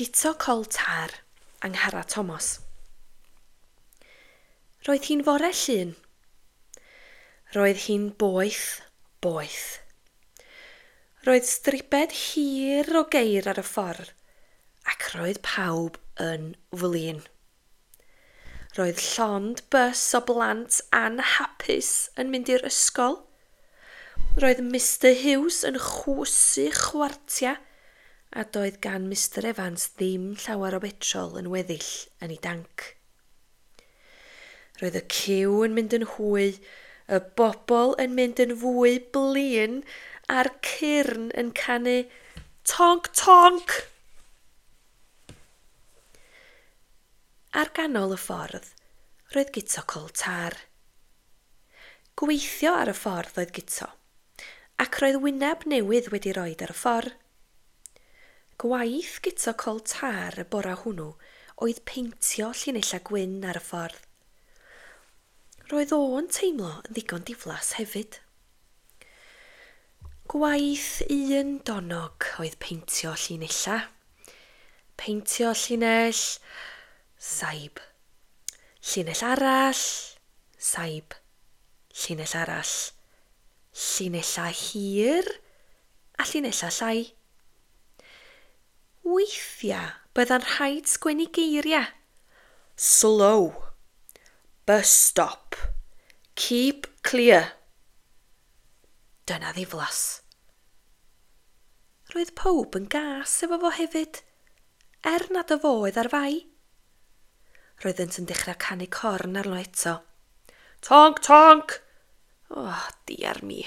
Guto Col Tar, Angharad Tomos. Roedd hi'n fore Llun. Roedd hi'n boeth, boeth. Roedd stribed hir o geir ar y ffordd, ac roedd pawb yn flin. Roedd llond bys o blant anhapus yn mynd i'r ysgol. Roedd Mister Huws yn chwysu chwartia a doedd gan Mister Evans ddim llawer o betrol yn weddill yn ei danc. Roedd y ciw yn mynd yn hwy, y bobl yn mynd yn fwy blin a'r cyrn yn canu tonk tonk! Ar ganol y ffordd, roedd Guto Col Tar. Gweithio ar y ffordd oedd Guto, ac roedd wyneb newydd wedi roed ar y ffordd. Gwaith Guto Col Tar y bora hwnnw oedd peintio llinellau gwyn ar y ffordd. Roedd o'n teimlo yn ddigon diflas hefyd. Gwaith un donog oedd peintio llinellau. Peintio llinell, saib. Llinell arall, saib. Llinell arall. Llinellau hir a llinellau llai. Weithiau bydda'n rhaid sgwennu geiriau. Slow. Bus stop. Keep clear. Dyna ddiflas. Roedd pawb yn gas efo fo hefyd, er nad y fo oedd ar fai. Roeddynt yn dechrau canu corn arno eto. Tonk, tonk! Oh, diar mi.